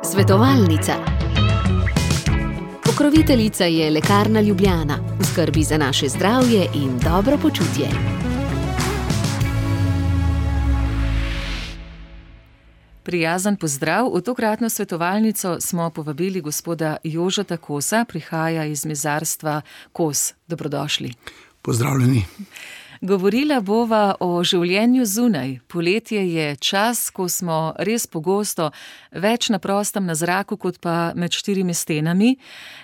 Svetovalnica. Pokroviteljica je Lekarna Ljubljana, v skrbi za naše zdravje in dobro počutje. Prijazen pozdrav. V tokratno svetovalnico smo povabili gospoda Jožeta Kosa, prihaja iz mezarstva Kos. Dobrodošli. Pozdravljeni. Govorila bova o življenju zunaj. Poletje je čas, ko smo res pogosto več na prostem na zraku, kot pa med štirimi stenami.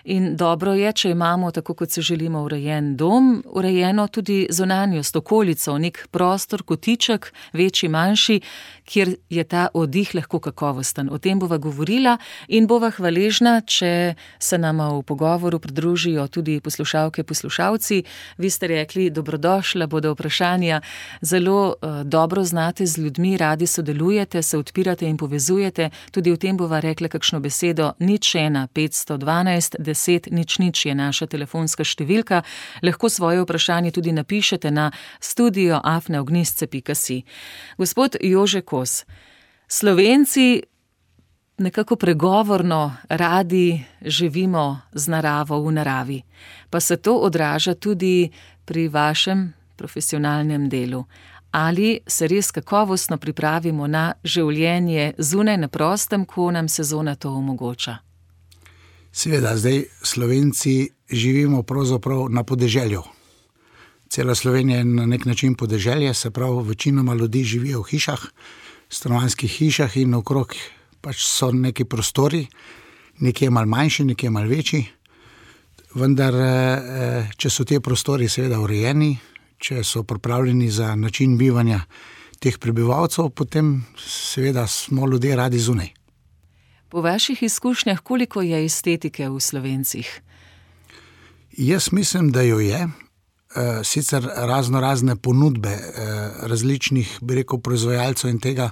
In dobro je, če imamo, tako kot se želimo, urejen dom, urejeno tudi zunanjost, okolico, nek prostor, kotiček, večji, manjši, kjer je ta oddih lahko kakovosten. O tem bova govorila in bova hvaležna, če se nama v pogovoru pridružijo tudi poslušalke, poslušalci. Vi ste rekli, dobrodošla, bodo vprašanja. Zelo dobro znate z ljudmi, radi sodelujete, se odpirate in povezujete. Tudi o tem bova rekla kakšno besedo. 01 512 10 00 je naša telefonska številka. Lahko svoje vprašanje tudi napišete na studio@ognjezce.si. Gospod Jože Kos, Slovenci nekako pregovorno radi živimo z naravo, v naravi. Pa se to odraža tudi pri vašem profesionalnem delu. Ali se res kakovostno pripravimo na življenje zunaj na prostem, ko nam sezona to omogoča? Seveda, zdaj Slovenci živimo pravzaprav na podeželju. Cela Slovenija je na nek način podeželje, se pravi, večinoma ljudi živijo v hišah, stanovanjskih hišah in okrog pač so neki prostori, nekje malo manjši, nekje malo večji. Vendar, če so te prostori seveda urejeni, če so pripravljeni za način bivanja teh prebivalcev, potem seveda smo ljudje radi zunaj. Po vaših izkušnjah, koliko je estetike v Slovencih? Jaz mislim, da jo je. Sicer razne ponudbe različnih, bi rekel, proizvajalcev in tega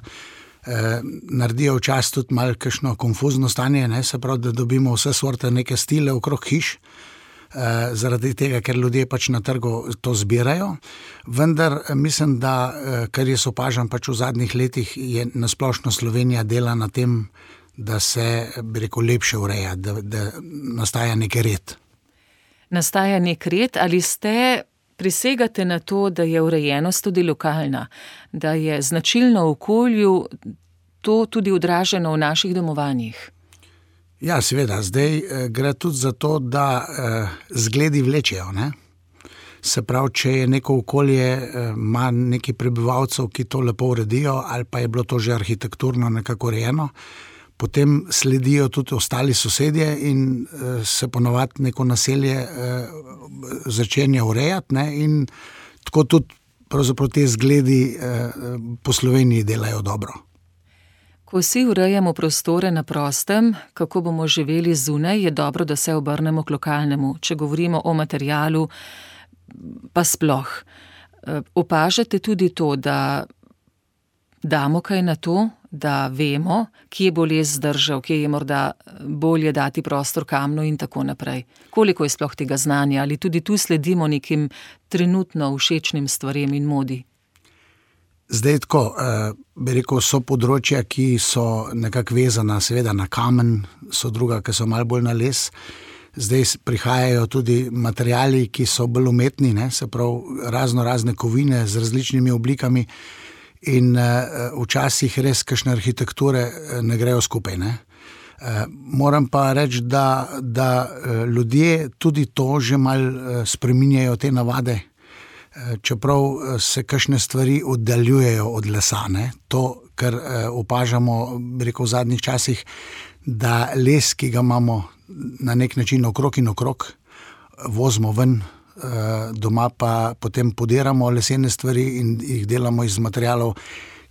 naredijo včasih tudi malo kakšno konfuzno stanje, ne? Se pravi, da dobimo vse sorte neke stile okrog hiš, zaradi tega, ker ljudje pač na trgu to zbirajo. Vendar mislim, da kar jaz opažam pač v zadnjih letih, je nasplošno Slovenija dela na tem, da se, bi rekel, lepše ureja, da nastaja nek red. Nastaja nek red, ali prisegate na to, da je urejenost tudi lokalna, da je značilno okolju to tudi odraženo v naših domovanjih? Ja, seveda, zdaj gre tudi za to, da zgledi vlečejo, ne? Se pravi, če je neko okolje, ima neki prebivalcev, ki to lepo uredijo, ali pa je bilo to že arhitekturno nekako urejeno, potem sledijo tudi ostali sosedje in se ponovadi neko naselje začenja urejati, ne? In tako tudi pravzaprav te zgledi po Sloveniji delajo dobro. Ko vsi urejamo prostore na prostem, kako bomo živeli zunaj, je dobro, da se obrnemo k lokalnemu. Če govorimo o materialu, pa sploh. Opažate tudi to, da damo kaj na to, da vemo, kje bo les zdržal, kje je morda bolje dati prostor kamnu in tako naprej. Koliko je sploh tega znanja? Ali tudi tu sledimo nekim trenutno všečnim stvarem in modi? Zdaj tako, bi rekel, so področja, ki so nekako vezana seveda na kamen, so druga, ki so malo bolj na les. Zdaj prihajajo tudi materiali, ki so bolj umetni, ne? Se pravi, razne kovine z različnimi oblikami in včasih res kakšne arhitekture ne grejo skupaj, ne? Moram pa reči, da ljudje tudi to že malo spreminjajo te navade, čeprav se kakšne stvari oddaljujejo od lesa, ne? To, kar opažamo, bi rekel, v zadnjih časih, da les, ki ga imamo na nek način okrog in okrog, vozimo ven, doma pa potem podiramo lesene stvari in jih delamo iz materialov,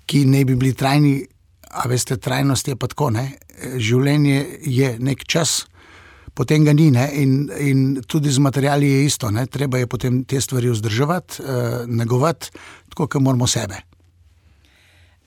ki ne bi bili trajni. A veste, trajnost je pa tako, ne? Življenje je nek čas, potem ga ni, ne? In tudi z materiali je isto, ne? Treba je potem te stvari vzdrževati, negovati, tako kot moramo sebe.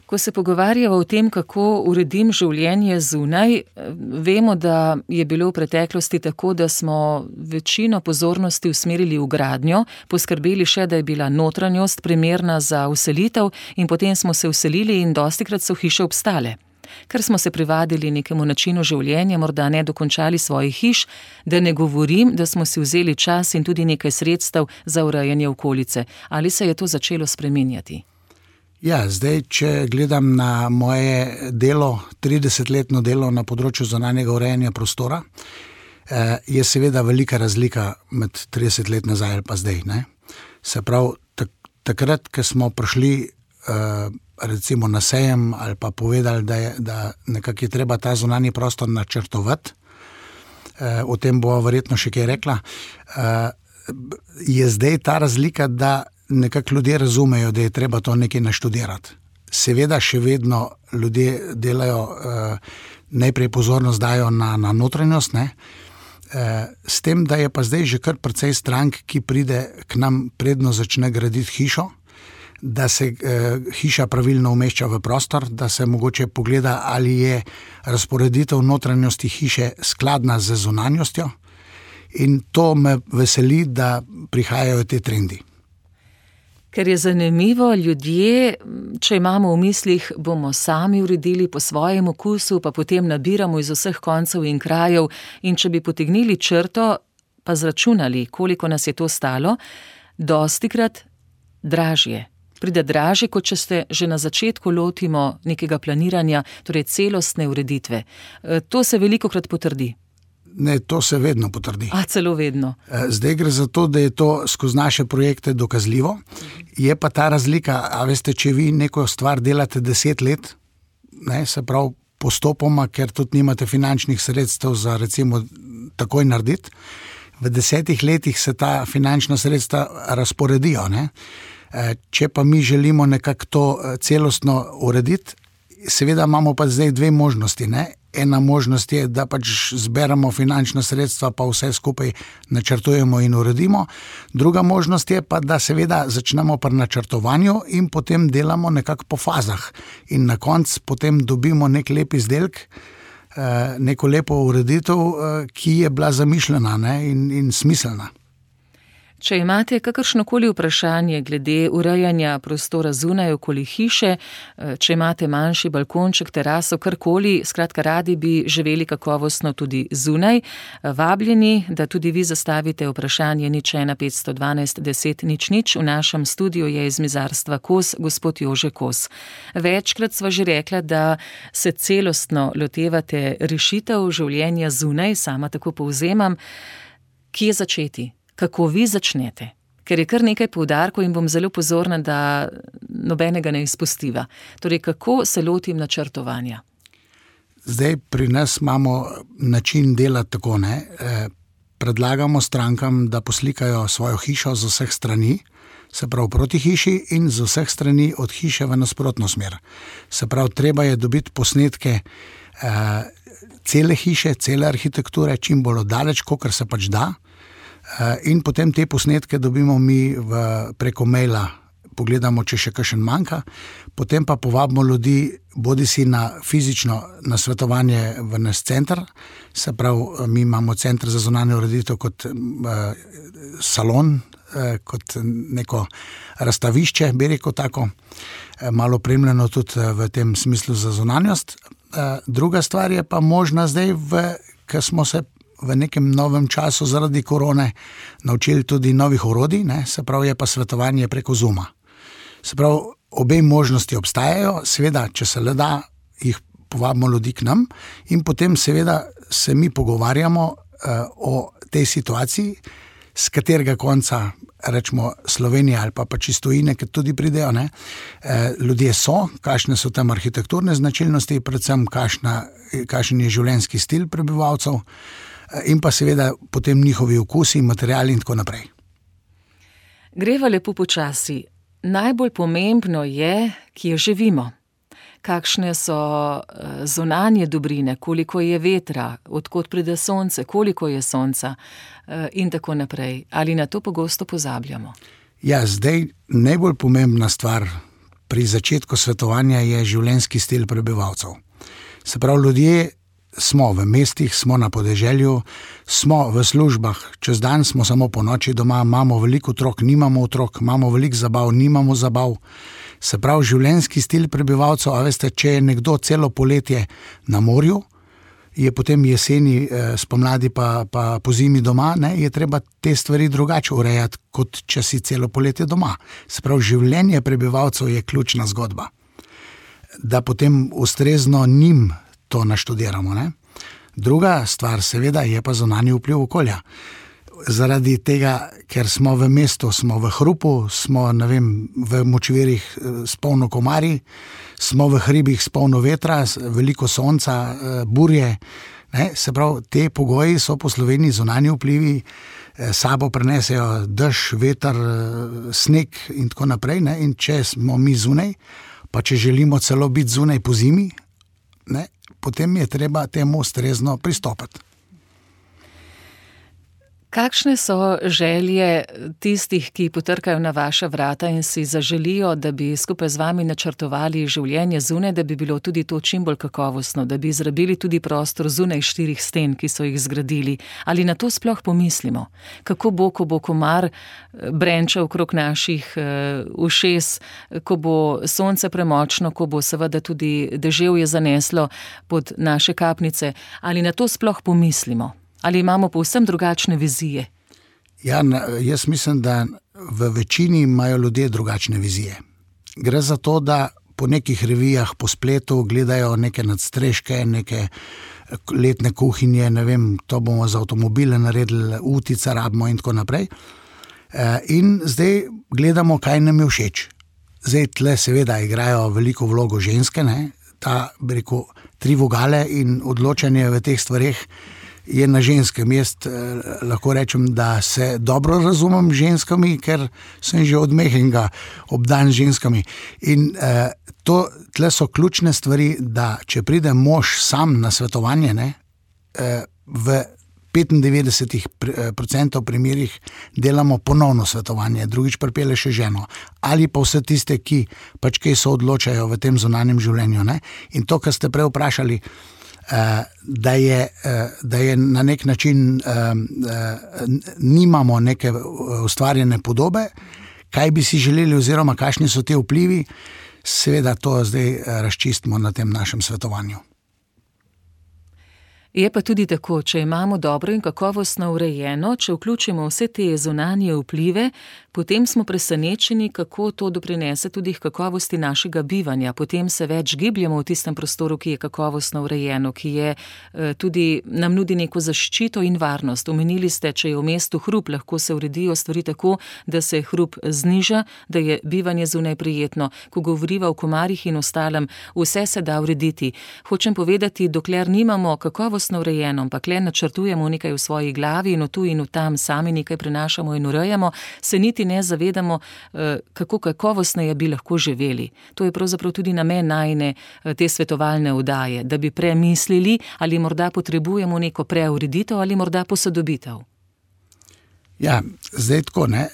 Ko se pogovarjamo o tem, kako uredim življenje zunaj, vemo, da je bilo v preteklosti tako, da smo večino pozornosti usmerili v gradnjo, poskrbeli še, da je bila notranjost primerna za vselitev in potem smo se vselili in dostikrat so hiše obstale. ker smo se privadili nekemu načinu življenja, morda ne dokončali svojih hiš, da ne govorim, da smo si vzeli čas in tudi nekaj sredstev za urejanje okolice. Ali se je to začelo spreminjati? Ja, zdaj, če gledam na moje delo, 30-letno delo na področju zunanjega urejanja prostora, je seveda velika razlika med 30 let nazaj ali pa zdaj, ne? Se pravi, takrat, ko smo prišli recimo na sejem ali pa povedali, da nekako je treba ta zunanji prostor načrtovati, o tem bo verjetno še kaj rekla, je zdaj ta razlika, da nekako ljudje razumejo, da je treba to nekaj naštudirati. Seveda še vedno ljudje delajo, najprej pozornost dajo na notranjost, ne? S tem, da je pa zdaj že kar precej strank, ki pride k nam, predno začne graditi hišo, da se hiša pravilno umešča v prostor, da se mogoče pogleda, ali je razporeditev notranjosti hiše skladna z zunanjostjo, in to me veseli, da prihajajo te trendi. Ker je zanimivo, ljudje, če imamo v mislih, bomo sami uredili po svojem okusu, pa potem nabiramo iz vseh koncev in krajev, in če bi potegnili črto, pa zračunali, koliko nas je to stalo, dostikrat dražje. Pride dražje, kot če se že na začetku lotimo nekega planiranja, torej celostne ureditve. To se velikokrat potrdi. Ne, to se vedno potrdi. Celo vedno. Zdaj gre za to, da je to skozi naše projekte dokazljivo. Je pa ta razlika, a veste, če vi neko stvar delate 10 let, ne, se pravi postopoma, ker tudi nimate finančnih sredstev za recimo takoj narediti, v 10 letih se ta finančna sredstva razporedijo, ne. Če pa mi želimo nekako to celostno urediti, seveda imamo pa zdaj dve možnosti, ne. Ena možnost je, da pač zberemo finančna sredstva, pa vse skupaj načrtujemo in uredimo. Druga možnost je pa, da seveda začnemo pri načrtovanju in potem delamo nekako po fazah. In na koncu potem dobimo nek lep izdelek, neko lepo ureditev, ki je bila zamišljena, ne, in smiselna. Če imate kakršnokoli vprašanje glede urejanja prostora zunaj okoli hiše, če imate manjši balkonček, teraso, karkoli, skratka radi bi živeli kakovostno tudi zunaj, vabljeni, da tudi vi zastavite vprašanje 01 512 10 00. V našem studiu je iz mizarstva Kos gospod Jože Kos. Večkrat sva že rekla, da se celostno lotevate rešitev življenja zunaj, sama tako povzemam. Kje začeti? Kako vi začnete? Ker je kar nekaj poudarkov in bom zelo pozorna, da nobenega ne izpustiva. Torej, kako se lotim načrtovanja? Zdaj pri nas imamo način dela tako, ne. Predlagamo strankam, da poslikajo svojo hišo z vseh strani, se pravi proti hiši, in z vseh strani od hiše v nasprotno smer. Se pravi, treba je dobiti posnetke cele hiše, cele arhitekture, čim bolj oddaleč, kolikor se pač da. In potem te posnetke dobimo mi preko maila, pogledamo, če še kakšen manjka, potem pa povabimo ljudi, bodisi na fizično nasvetovanje v naš center, se pravi, mi imamo center za zunanjo ureditev kot salon, kot neko razstavišče, bi rekel tako, malo opremljeno tudi v tem smislu za zunanjost. Druga stvar je pa možna zdaj, ker smo se v nekem novem času zaradi korone naučili tudi novih orodij, ne, se pravi, je pa svetovanje preko Zooma. Se pravi, obe možnosti obstajajo, seveda, če se le da, jih povabimo ljudi k nam in potem seveda se mi pogovarjamo o tej situaciji, z katerega konca, rečemo Slovenije ali pa iz tujine, ki tudi pridejo, ne, ljudje so, kakšne so tam arhitekturne značilnosti, predvsem kakšen je življenjski stil prebivalcev, in pa seveda potem njihovi okusi, materiali in tako naprej. Greva lepo počasi. Najbolj pomembno je, kje živimo. Kakšne so zunanje dobrine, koliko je vetra, odkot pride sonce, koliko je sonca in tako naprej. Ali na to pogosto pozabljamo? Ja, zdaj najbolj pomembna stvar pri začetku svetovanja je življenjski stil prebivalcev. Se pravi, ljudje smo v mestih, smo na podeželju, smo v službah, čez dan smo samo po noči doma, imamo veliko otrok, nimamo otrok, imamo veliko zabav, nimamo zabav. Se pravi, življenjski stil prebivalcev, a veste, če je nekdo celo poletje na morju, je potem jeseni, spomladi pa po zimi doma, ne, je treba te stvari drugače urejati, kot če si celo poletje doma. Se pravi, življenje prebivalcev je ključna zgodba. Da potem ustrezno njim to naštudiramo, ne. Druga stvar seveda je pa zunanji vpliv okolja. Zaradi tega, ker smo v mestu, smo v hrupu, smo, ne vem, v močvirjih s polno komarji, smo v hribih s polno vetra, veliko sonca, burje, ne? Se pravi, te pogoji so po Sloveniji zunanji vplivi, sabo prenesejo dež, veter, sneg in tako naprej, ne? In če smo mi zunaj, pa če želimo celo biti zunaj po zimi, ne? Potem je treba temu ustrezno pristopiti. Kakšne so želje tistih, ki potrkajo na vaša vrata in si zaželijo, da bi skupaj z vami načrtovali življenje zunaj, da bi bilo tudi to čim bolj kakovostno, da bi izrabili tudi prostor zunaj 4 sten, ki so jih zgradili? Ali na to sploh pomislimo? Kako bo, ko bo komar brenčal okrog naših ušes, ko bo sonce premočno, ko bo seveda tudi deževje zaneslo pod naše kapnice? Ali na to sploh pomislimo? Ali imamo povsem drugačne vizije? Ja, jaz mislim, da v večini imajo ljudje drugačne vizije. Gre za to, da po nekih revijah, po spletu gledajo neke nadstreške, neke letne kuhinje, ne vem, to bomo za avtomobile naredili, utica rabimo in tako naprej. In zdaj gledamo, kaj nam je všeč. Zdaj tle seveda igrajo veliko vlogo ženske, ne? Ta, bi rekel, 3 vogale in odločanje v teh stvareh je na ženskem. Jaz lahko rečem, da se dobro razumem z ženskami, ker sem že od mehkega obdan z ženskami. In tle so ključne stvari, da če pride mož sam na svetovanje, ne, v 95% primerih delamo ponovno svetovanje, drugič pripelje še ženo. Ali pa vse tiste, ki pač kaj se odločajo v tem zunanjem življenju, ne. In to, kar ste prej vprašali, da je na nek način nimamo neke ustvarjene podobe, kaj bi si želeli oziroma kakšni so te vplivi, seveda to zdaj razčistimo na tem našem svetovanju. Je pa tudi tako, če imamo dobro in kakovostno urejeno, če vključimo vse te zunanje vplive, potem smo presenečeni, kako to doprinese tudi k kakovosti našega bivanja. Potem se več gibljamo v tistem prostoru, ki je kakovostno urejeno, ki je tudi nam nudi neko zaščito in varnost. Omenili ste, če je v mestu hrup, lahko se uredijo stvari tako, da se hrup zniža, da je bivanje zunaj prijetno. Ko govoriva o komarjih in ostalem, vse se da urediti. Hočem povedati, dokler nimamo kakovostno urejeno, ampak le načrtujemo nekaj v svoji glavi in v tu in v tam sami nekaj prenašamo in urejamo, se niti ne zavedamo, kako kakovostneje bi lahko živeli. To je pravzaprav tudi namen najine te svetovalne oddaje, da bi premislili, ali morda potrebujemo neko preureditev ali morda posodobitev. Ja, zdaj tako, ne.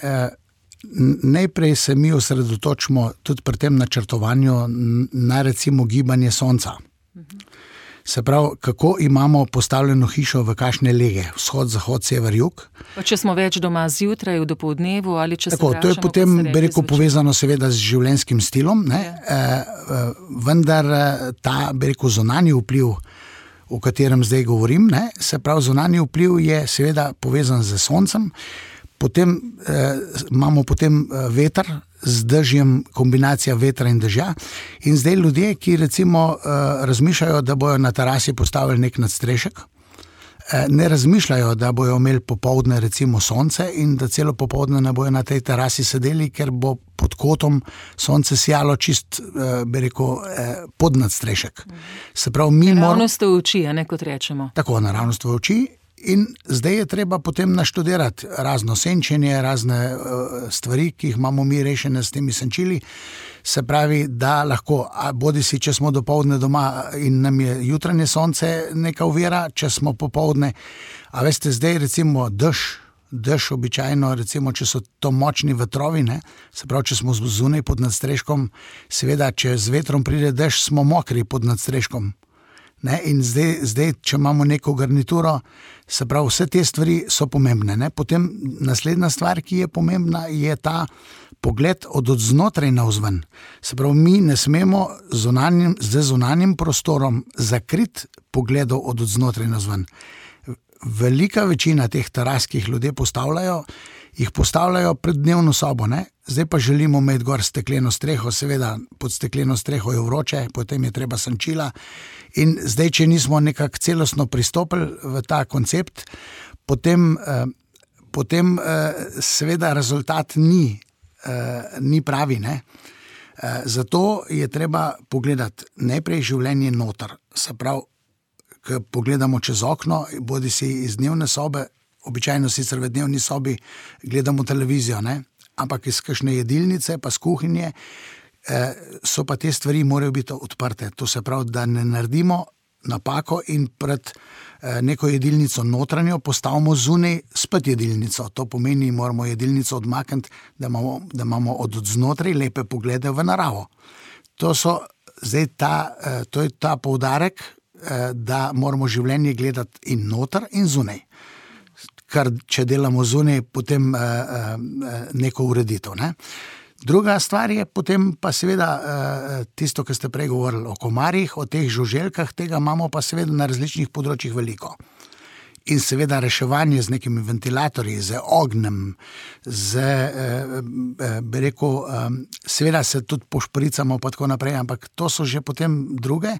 Najprej se mi osredotočimo tudi pri tem načrtovanju na recimo gibanje sonca. Se pravi, kako imamo postavljeno hišo v kakšne lege, vzhod, zahod, sever, jug. Pa če smo več doma zjutraj, v dopoldnevu ali če tako, se vračamo. To je potem, bi rekel, povezano seveda z življenjskim stilom, ne? Vendar ta, bi rekel, zunanji vpliv, o katerem zdaj govorim, ne? Se pravi, zunanji vpliv je seveda povezan z soncem, potem imamo potem veter, z dežjem, kombinacija vetra in dežja. In zdaj ljudje, ki recimo razmišljajo, da bojo na terasi postavili nek nadstrešek, ne razmišljajo, da bojo imeli popoldne recimo sonce in da celo popoldne ne bojo na tej terasi sedeli, ker bo pod kotom sonce sijalo čist, bi rekel, pod nadstrešek. Se pravi, naravnost v oči, a ne kot rečemo. Tako, naravnost v oči. In zdaj je treba potem naštudirati razno senčenje, razne stvari, ki jih imamo mi rešene s temi senčili. Se pravi, da lahko, bodi si, če smo dopoldne doma in nam je jutranje sonce neka ovira, če smo popoldne. A veste, zdaj recimo dež običajno, recimo, če so to močni vetrovi, ne? Se pravi, če smo zunaj pod nadstreškom, seveda, če z vetrom pride dež, smo mokri pod nadstreškom. Ne? In zdaj, če imamo neko garnituro, se pravi, vse te stvari so pomembne. Ne? Potem naslednja stvar, ki je pomembna, je ta pogled od znotraj navzven. Se pravi, mi ne smemo z zunanjim prostorom zakriti pogledov od znotraj navzven. Velika večina teh teras, ki jih ljudje postavljajo pred dnevno sobo, ne? Zdaj pa želimo imeti gor stekleno streho, seveda pod stekleno streho je vroče, potem je treba senčila in zdaj, če nismo nekako celostno pristopili v ta koncept, potem seveda rezultat ni pravi, ne? Zato je treba pogledati najprej življenje noter, se pravi, ko pogledamo čez okno, bodi si iz dnevne sobe, običajno sicer v dnevni sobi gledamo televizijo, ne? Ampak iz kakšne jedilnice, pa z kuhinje, so pa te stvari morajo biti odprte. To se pravi, da ne naredimo napako in pred neko jedilnico notranjo postavimo zunaj spet jedilnico. To pomeni, moramo jedilnico odmakniti, da imamo od znotraj lepe poglede v naravo. To je ta poudarek, da moramo življenje gledati in noter in zunaj. Kar če delamo zunaj, potem neko ureditev. Ne? Druga stvar je potem pa seveda tisto, kar ste prej govorili o komarjih, o teh žuželkah, tega imamo pa seveda na različnih področjih veliko. In seveda reševanje z nekimi ventilatorji, z ognjem, seveda se tudi pošpricamo pa tako naprej, ampak to so že potem druge.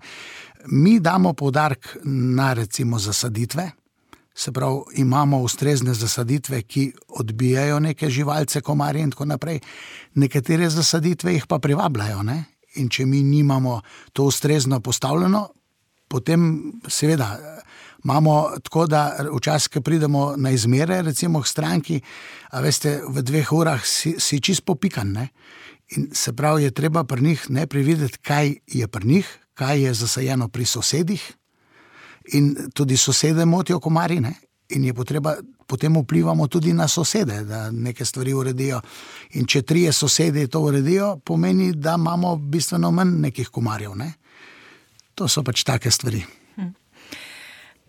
Mi damo poudarek na recimo zasaditve, se pravi, imamo ustrezne zasaditve, ki odbijajo neke živalce, komarje in tako naprej. Nekatere zasaditve jih pa privabljajo, ne? In če mi nimamo to ustrezno postavljeno, potem seveda imamo tako, da včasih, ko pridemo na izmere, recimo k stranki, a veste, v 2 urah si čist popikan, ne? In se pravi, je treba pri njih najprej videti, kaj je pri njih, kaj je zasajeno pri sosedih, in tudi sosede motijo komarji, ne? In je potreba, potem vplivamo tudi na sosede, da neke stvari uredijo. In če 3 sosedi to uredijo, pomeni, da imamo bistveno manj nekih komarjev, ne? To so pač take stvari.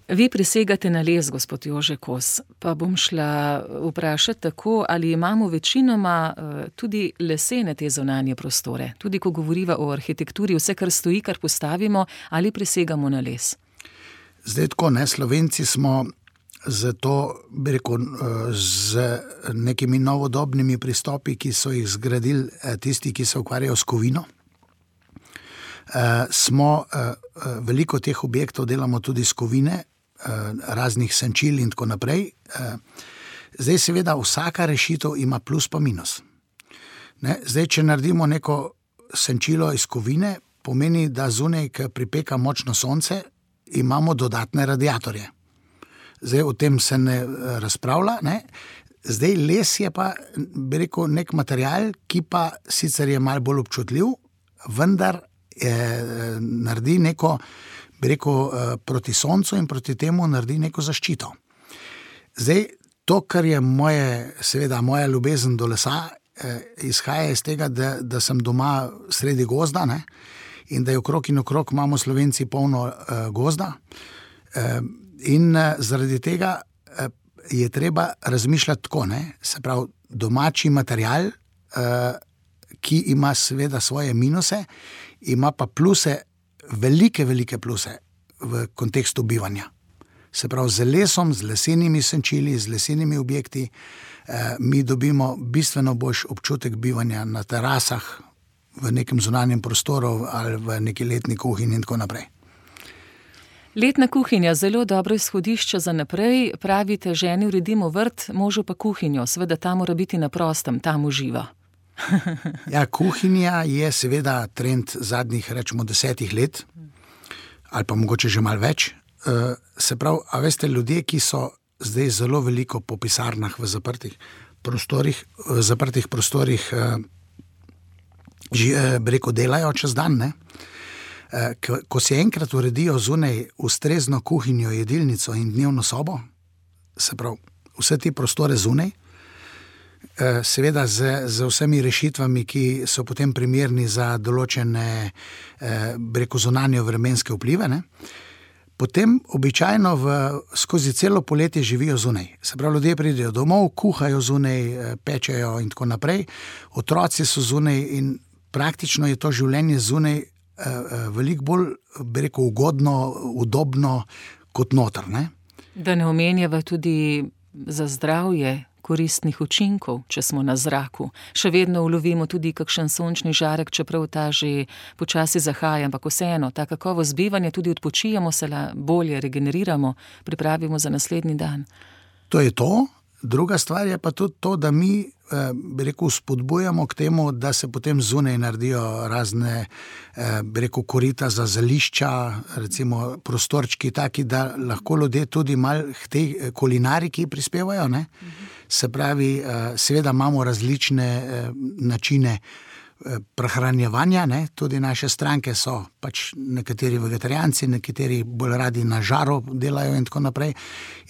Vi prisegate na les, gospod Jože Kos, pa bom šla vprašati tako, ali imamo večinoma tudi lesene te zunanje prostore, tudi ko govoriva o arhitekturi, vse, kar stoji, kar postavimo, ali prisegamo na les? Zdaj tako, ne, Slovenci smo zato, bi rekel, z nekimi novodobnimi pristopi, ki so jih zgradili tisti, ki se ukvarjajo s kovino, veliko teh objektov delamo tudi s kovine, raznih senčil in tako naprej. Zdaj seveda vsaka rešitev ima plus pa minus. Ne? Zdaj, če naredimo neko senčilo iz kovine, pomeni, da zunaj, ko pripeka močno sonce, imamo dodatne radiatorje. Zdaj o tem se ne razpravlja, ne? Zdaj les je pa, bi rekel, nek material, ki pa sicer je malo bolj občutljiv, vendar naredi neko, bi rekel, proti soncu in proti temu naredi neko zaščito. Zdaj, to, kar je moja ljubezen do lesa, izhaja iz tega, da sem doma sredi gozda, ne? In da je okrog in okrog imamo Slovenci polno gozda. In zaradi tega je treba razmišljati tako, ne? Se pravi, domači material, ki ima seveda svoje minuse, ima pa pluse, velike pluse v kontekstu bivanja. Se pravi, z lesom, z lesenimi senčili, z lesenimi objekti, mi dobimo bistveno boljši občutek bivanja na terasah, v nekem zunanjem prostoru ali v neki letni kuhinji in tako naprej. Letna kuhinja, zelo dobro izhodišče za naprej. Pravite, ženi uredimo vrt, možu pa kuhinjo. Seveda ta mora biti na prostem, tam uživa. Ja, kuhinja je seveda trend zadnjih, rečemo, 10 let, ali pa mogoče že malo več. Se pravi, a veste, ljudje, ki so zdaj zelo veliko po pisarnah v zaprtih prostorih, breko delajo čez dan, ne? Ko si enkrat uredijo zunaj ustrezno kuhinjo, jedilnico in dnevno sobo, se pravi, vse te prostore zunaj, seveda z vsemi rešitvami, ki so potem primerni za določene, breko zunanje vremenske vplive, ne? potem običajno skozi celo poletje živijo zunaj. Se pravi, ljudje pridejo domov, kuhajo zunaj, pečejo in tako naprej. Otroci so zunaj in praktično je to življenje zunaj veliko bolj, bi rekel, ugodno, udobno kot noter, ne? Da ne omenjava tudi za zdravje koristnih učinkov, če smo na zraku. Še vedno ulovimo tudi kakšen sončni žarek, čeprav ta že počasi zahaja, ampak vseeno, ta kakovost bivanja, tudi odpočijemo se, bolje regeneriramo, pripravimo za naslednji dan. To je to. Druga stvar je pa tudi to, da mi, bi rekel, spodbujamo k temu, da se potem zunaj naredijo razne, bi rekel, korita za zelišča, recimo prostorčki taki, da lahko ljudje tudi malo k tej kulinariki prispevajo, ne? Se pravi, seveda imamo različne načine prehranjevanja, ne? Tudi naše stranke so pač nekateri vegetarijanci, nekateri bolj radi na žaru delajo in tako naprej.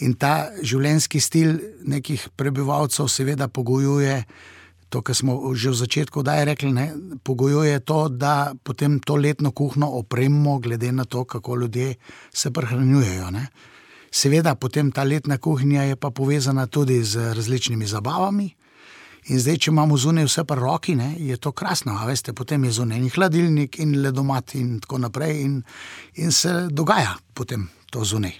In ta življenjski stil nekih prebivalcev seveda pogojuje to, kar smo že v začetku rekli, ne? Pogojuje to, da potem to letno kuhno opremimo glede na to, kako ljudje se prehranjujejo, ne? Seveda potem ta letna kuhinja je pa povezana tudi z različnimi zabavami. In zdaj, če imamo zunaj vse pri roki, ne, je to krasno, a veste, potem je zunaj hladilnik in ledomat in tako naprej in se dogaja potem to zunaj.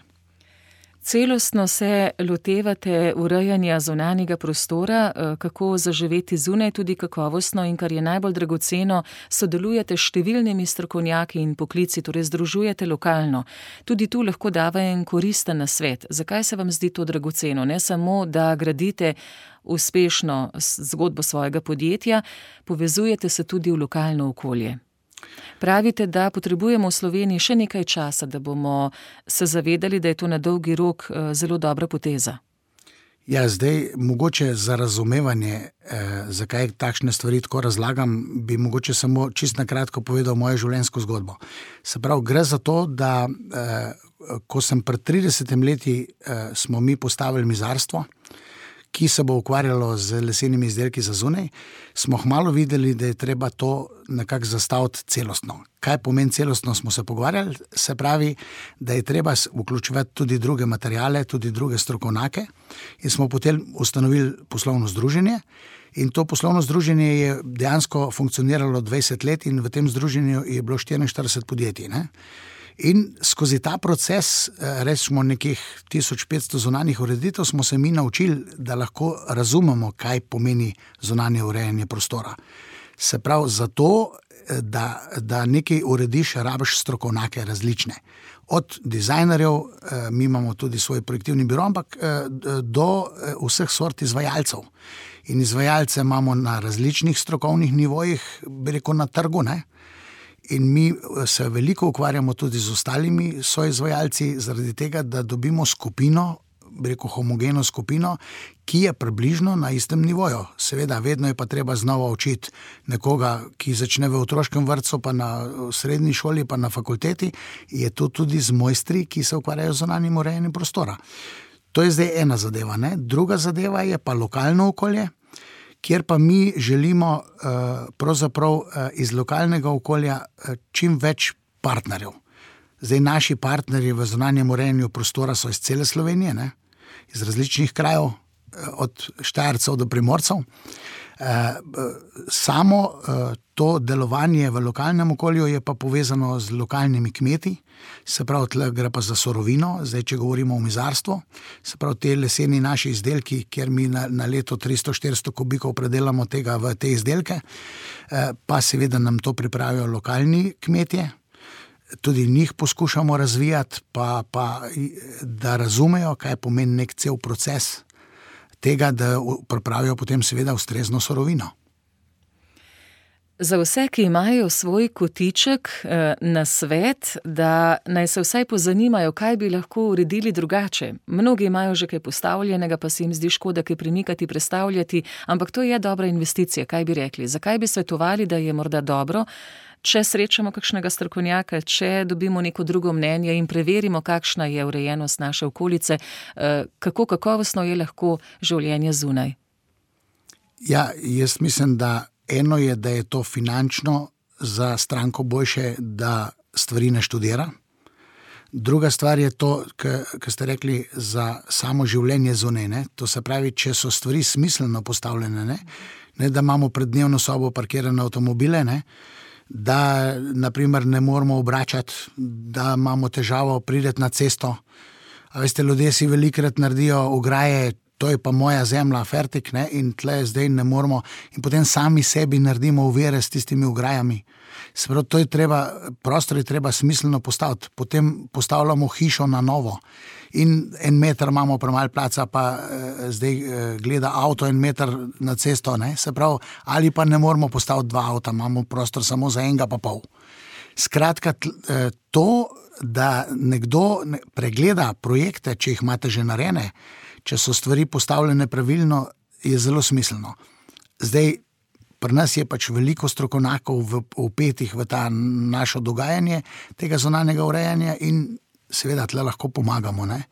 Celostno se lotevate urejanja zunanjega prostora, kako zaživeti zunaj, tudi kakovostno in, kar je najbolj dragoceno, sodelujete s številnimi strokovnjaki in poklici, torej združujete lokalno. Tudi tu lahko dava en koristen nasvet. Zakaj se vam zdi to dragoceno? Ne samo, da gradite uspešno zgodbo svojega podjetja, povezujete se tudi v lokalno okolje. Pravite, da potrebujemo v Sloveniji še nekaj časa, da bomo se zavedali, da je to na dolgi rok zelo dobra poteza. Ja, zdaj mogoče za razumevanje, zakaj takšne stvari tako razlagam, bi mogoče samo čisto na kratko povedal mojo življenjsko zgodbo. Se pravi, gre za to, da ko sem pred 30 leti smo mi postavili mizarstvo, ki se bo ukvarjalo z lesenimi izdelki za zunaj, smo hmalo videli, da je treba to nekako zastaviti celostno. Kaj pomeni celostno, smo se pogovarjali, se pravi, da je treba vključevati tudi druge materiale, tudi druge strokovnjake in smo potem ustanovili poslovno združenje in to poslovno združenje je dejansko funkcioniralo 20 let in v tem združenju je bilo 44 podjetij, ne? In skozi ta proces, rečemo nekih 1500 zunanjih ureditev, smo se mi naučili, da lahko razumemo, kaj pomeni zunanje urejanje prostora. Se pravi, zato, da nekaj urediš, rabiš strokovnjake različne. Od dizajnerjev, mi imamo tudi svoj projektivni biro, ampak do vseh sort izvajalcev. In izvajalce imamo na različnih strokovnih nivojih, bi rekel, na trgu, ne? In mi se veliko ukvarjamo tudi z ostalimi soizvajalci, zaradi tega, da dobimo skupino, bi rekel, homogeno skupino, ki je približno na istem nivoju. Seveda, vedno je pa treba znova učiti nekoga, ki začne v otroškem vrtcu, pa na srednji šoli, pa na fakulteti, je to tudi z mojstri, ki se ukvarjajo z zunanjim urejanjem prostora. To je zdaj ena zadeva, ne? Druga zadeva je pa lokalno okolje, kjer pa mi želimo pravzaprav iz lokalnega okolja čim več partnerjev. Zdaj naši partnerji v zunanjem urejanju prostora so iz cele Slovenije, ne? Iz različnih krajev, od Štajercev do Primorcev. Samo to delovanje v lokalnem okolju je pa povezano z lokalnimi kmeti, se pravi, tle gre pa za surovino, zdaj če govorimo o mizarstvu, se pravi, te leseni naši izdelki, kjer mi na leto 300-400 kubikov predelamo tega v te izdelke, pa seveda nam to pripravijo lokalni kmetje, tudi njih poskušamo razvijati, pa da razumejo, kaj pomeni nek cel proces tega, da pripravijo potem seveda ustrezno surovino. Za vse, ki imajo svoj kotiček, nasvet, da naj se vsaj pozanimajo, kaj bi lahko uredili drugače. Mnogi imajo že kaj postavljenega, pa se jim zdi škoda kaj premikati, prestavljati, ampak to je dobra investicija, kaj bi rekli. Zakaj bi svetovali, da je morda dobro, če srečamo kakšnega strokovnjaka, če dobimo neko drugo mnenje in preverimo, kakšna je urejenost naše okolice, kako kakovostno je lahko življenje zunaj? Ja, jaz mislim, da eno je, da je to finančno za stranko boljše, da stvari ne študira. Druga stvar je to, kar ste rekli, za samo življenje zunaj, ne. To se pravi, če so stvari smiselno postavljene, ne, da imamo pred dnevno sobo parkirane avtomobile, ne, da naprimer ne moramo obračati, da imamo težavo priti na cesto. A veste, ljudje si velikrat naredijo ograje, to je pa moja zemlja, fertik, ne, in tle zdaj ne moramo, in potem sami sebi naredimo ovire s tistimi ograjami. Se pravi, to je treba, prostor je treba smiselno postaviti, potem postavljamo hišo na novo in 1 meter imamo premalo placa, pa zdaj gleda avto 1 meter na cesto, ne, se pravi, ali pa ne moramo postaviti 2 avta, imamo prostor samo za 1,5. Skratka, to, da nekdo pregleda projekte, če jih imate že narejene, če so stvari postavljene pravilno, je zelo smiselno. Zdaj, pri nas je pač veliko strokovnjakov vpetih v ta našo dogajanje tega zunanjega urejanja in seveda tle lahko pomagamo, ne.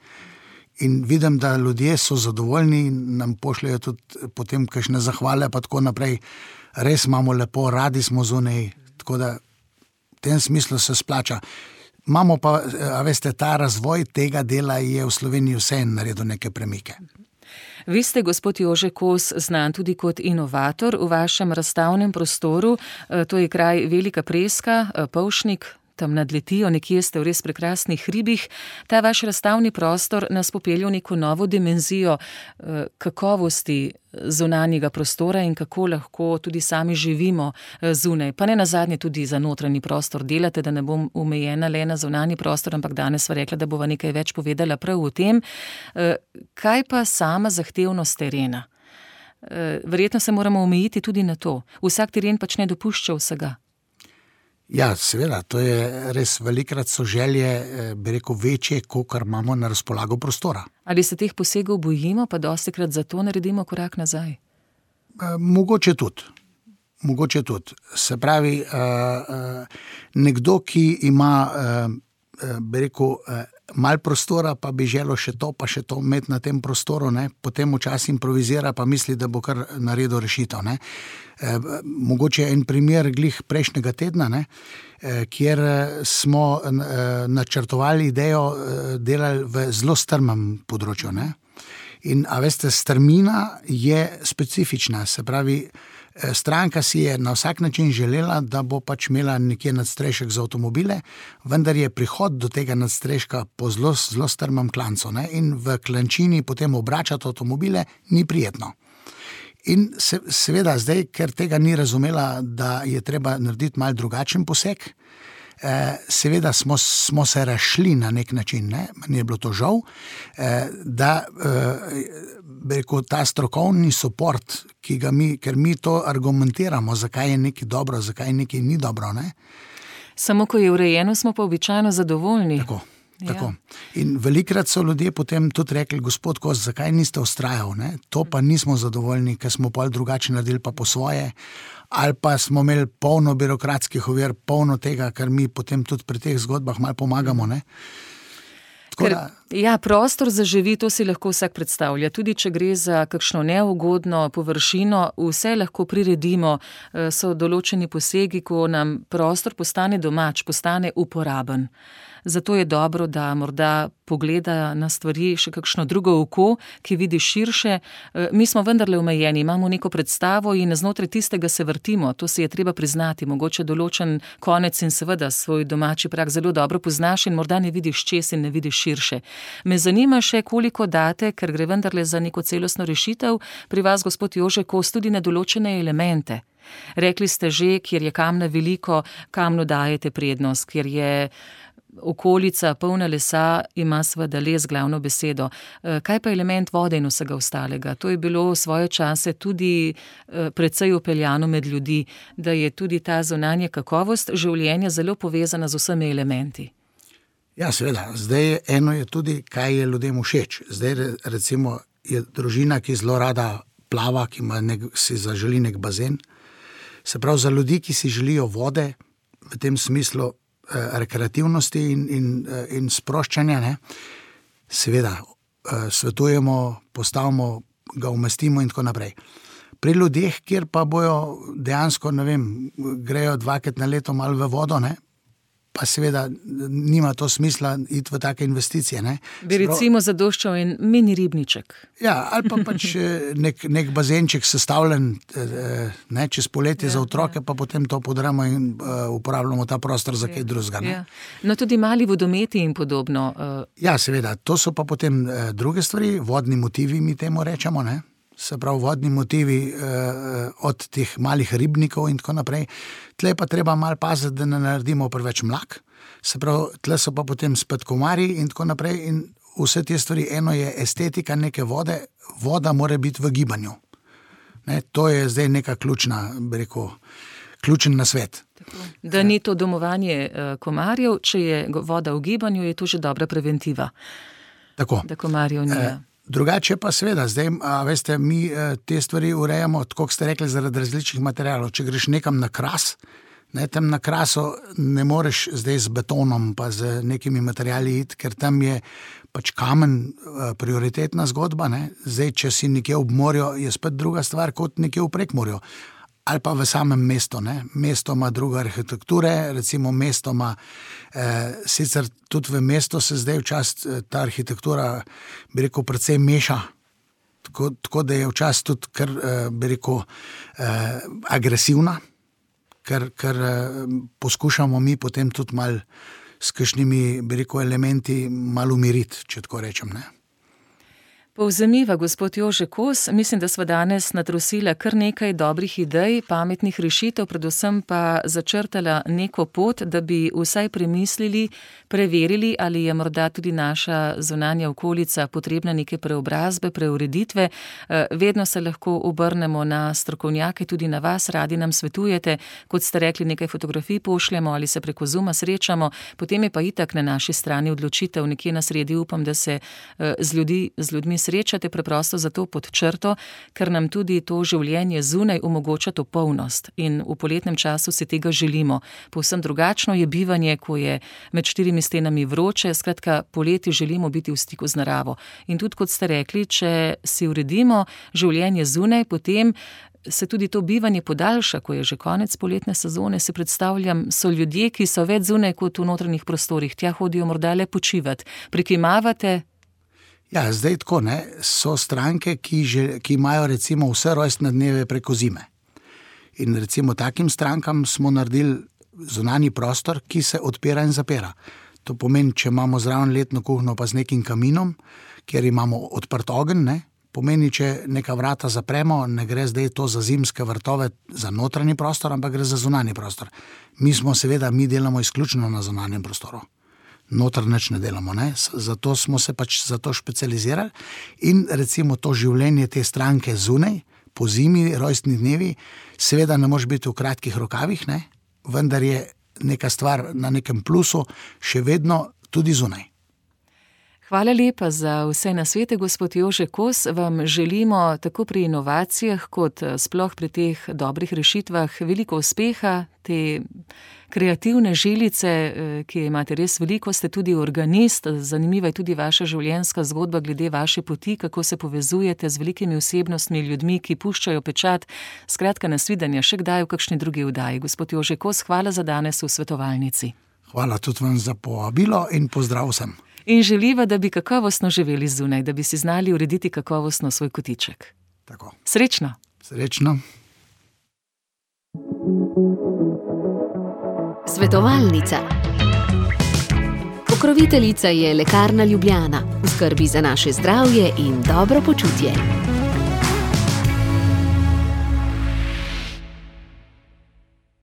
In vidim, da ljudje so zadovoljni in nam pošljajo tudi potem kakšne zahvale pa tako naprej. Res imamo lepo, radi smo zunaj, tako da v tem smislu se splača. Imamo pa, a veste, ta razvoj tega dela je v Sloveniji vseeno naredil neke premike. Vi ste, gospod Jože Kos, znan tudi kot inovator v vašem razstavnem prostoru. To je kraj Velika Preska, Polšnik, tam nad Letijo, nekje ste v res prekrasnih hribih. Ta vaš razstavni prostor nas popelje v neko novo dimenzijo kakovosti zunanjega prostora in kako lahko tudi sami živimo zunaj. Pa ne nazadnje tudi za notranji prostor delate, da ne bom omejena le na zunanji prostor, ampak danes sva rekla, da bova nekaj več povedala prav o tem. Kaj pa sama zahtevnost terena? Verjetno se moramo omejiti tudi na to. Vsak teren pač ne dopušča vsega. Ja, seveda, to je res velikrat so želje, bi rekel, večje, kakor imamo na razpolago prostora. Ali se teh posegov bojimo, pa dostikrat zato naredimo korak nazaj? Mogoče tudi. Se pravi, nekdo, ki ima, bi rekel, malo prostora, pa bi želel še to imeti na tem prostoru, ne, potem včasih improvizira, pa misli, da bo kar naredil rešitev, ne. Mogoče en primer glih prejšnjega tedna, ne, kjer smo načrtovali idejo, delali v zelo strmem področju, ne. In a veste, strmina je specifična, se pravi, stranka si je na vsak način želela, da bo pač imela nekje nadstrešek za avtomobile, vendar je prihod do tega nadstreška po zelo strmem klancu, ne, in v klančini potem obračati avtomobile ni prijetno. In seveda zdaj, ker tega ni razumela, da je treba narediti malo drugačen poseg, seveda smo se razšli na nek način, ne, meni je bilo to žal, da bi rekel, ta strokovni suport, ker mi to argumentiramo, zakaj je nekaj dobro, zakaj nekaj ni dobro, ne. Samo ko je urejeno, smo pa običajno zadovoljni. Tako. In velikrat so ljudje potem tudi rekli, gospod Kos, zakaj niste vztrajali, ne? To pa nismo zadovoljni, ker smo pol drugače naredili pa po svoje, ali pa smo imeli polno birokratskih ovir, polno tega, kar mi potem tudi pri teh zgodbah malo pomagamo, ne? Ja, prostor zaživi, to si lahko vsak predstavlja. Tudi če gre za kakšno neugodno površino, vse lahko priredimo, so določeni posegi, ko nam prostor postane domač, postane uporaben. Zato je dobro, da morda pogleda na stvari še kakšno drugo oko, ki vidi širše. Mi smo vendarle omejeni, imamo neko predstavo in znotraj tistega se vrtimo, to si je treba priznati, mogoče določen konec in seveda svoj domači prag zelo dobro poznaš in morda ne vidiš čez in ne vidiš širše. Me zanima še, koliko date, ker gre vendarle za neko celostno rešitev, pri vas, gospod Jože Kos, tudi na določene elemente. Rekli ste že, kjer je kamna veliko, kamnu dajete prednost, kjer je okolica polna lesa, ima seveda les glavno besedo. Kaj pa element vode in vsega ostalega? To je bilo v svoje čase tudi precej upeljano med ljudi, da je tudi ta zunanja kakovost življenja zelo povezana z vsemi elementi. Ja, seveda. Zdaj eno je tudi, kaj je ljudem všeč. Zdaj recimo je družina, ki zelo rada plava, ki si zaželi nek bazen. Se pravi, za ljudi, ki si želijo vode, v tem smislu rekreativnosti in sproščanja, ne, seveda svetujemo, postavimo, ga umestimo in tako naprej. Pri ljudeh, kjer pa bojo dejansko, ne vem, grejo 2-krat na leto malo v vodo, ne, pa seveda nima to smisla iti v take investicije. Ne? Bi recimo zadoščal en mini ribniček. Ja, ali pa pač nek bazenček sestavljen, ne, čez poletje za otroke, pa potem to podramo in uporabljamo ta prostor za kaj drugega. Ja. No, tudi mali vodometi in podobno. Ja, seveda, to so pa potem druge stvari, vodni motivi mi temu rečemo, ne? Se pravi, vodni motivi od teh malih ribnikov in tako naprej. Tle pa treba malo paziti, da ne naredimo preveč mlak. Se pravi, tle so pa potem spet komarji in tako naprej in vse te stvari. Eno je estetika neke vode, voda mora biti v gibanju. Ne, to je zdaj neka ključen nasvet. Da ni to domovanje komarjev, če je voda v gibanju, je to že dobra preventiva. Tako. Da komarjev ni. Drugače pa seveda, zdaj, veste, mi te stvari urejamo, tako kot ste rekli, zaradi različnih materialov. Če greš nekam na Kras, ne, tam na Krasu ne moreš zdaj z betonom pa z nekimi materiali iti, ker tam je pač kamen prioritetna zgodba. Ne. Zdaj, če si nekje ob morju, je spet druga stvar kot nekje v Prekmurju. Ali pa v samem mestu. Ne. Mesto ima druge arhitekture, recimo mesto ima, sicer tudi v mestu se zdaj včasih ta arhitektura, bi rekel, precej meša, tako da je včasih tudi kar, bi rekel, agresivna, ker poskušamo mi potem tudi malo s kakšnimi, bi rekel, elementi malo umiriti, če tako rečem, ne. Povzemiva, gospod Jože Kos, mislim, da sva danes natrosila kar nekaj dobrih idej, pametnih rešitev, predvsem pa začrtala neko pot, da bi vsaj premislili, preverili, ali je morda tudi naša zunanja okolica potrebna neke preobrazbe, preureditve. Vedno se lahko obrnemo na strokovnjake, tudi na vas, radi nam svetujete, kot ste rekli, nekaj fotografij pošljemo ali se preko Zooma srečamo, potem je pa itak na naši strani odločitev, nekje na sredi upam, da se z ljudmi srečate preprosto zato pod črto, ker nam tudi to življenje zunaj omogoča to polnost in v poletnem času si tega želimo. Povsem drugačno je bivanje, ko je med 4 stenami vroče, skratka poleti želimo biti v stiku z naravo. In tudi kot ste rekli, če si uredimo življenje zunaj, potem se tudi to bivanje podaljša, ko je že konec poletne sezone, si predstavljam, so ljudje, ki so več zunaj kot v notranjih prostorih, tja hodijo morda le počivati. Prikimavate? Ja, zdaj tako, ne, so stranke, ki imajo recimo vse rojstne dneve preko zime. In recimo takim strankam smo naredili zunanji prostor, ki se odpira in zapira. To pomeni, če imamo zraven letno kuhno pa z nekim kaminom, kjer imamo odprt ogenj, ne, pomeni, če neka vrata zapremo, ne gre zdaj to za zimske vrtove, za notranji prostor, ampak gre za zunanji prostor. Mi delamo izključno na zunanjem prostoru. Noter nič ne delamo, ne? Zato smo se pač za to specializirali in recimo to življenje te stranke zunaj, po zimi, rojstni dnevi, seveda ne može biti v kratkih rokavih, ne? Vendar je neka stvar na nekem plusu še vedno tudi zunaj. Hvala lepa za vse nasvete, gospod Jože Kos. Vam želimo tako pri inovacijah, kot sploh pri teh dobrih rešitvah veliko uspeha, te kreativne žilice, ki imate res veliko, ste tudi organist, zanimiva je tudi vaša življenjska zgodba glede vaše poti, kako se povezujete z velikimi osebnostmi, ljudmi, ki puščajo pečat. Skratka, nasvidenja še kdaj v kakšni drugi oddaji. Gospod Jože Kos, hvala za danes v Svetovalnici. Hvala tudi vam za povabilo in pozdrav vsem. In želiva, da bi kakovostno živeli zunaj, da bi si znali urediti kakovostno svoj kotiček. Tako. Srečno. Srečno. Svetovalnica. Pokroviteljica je Lekarna Ljubljana. V skrbi za naše zdravje in dobro počutje.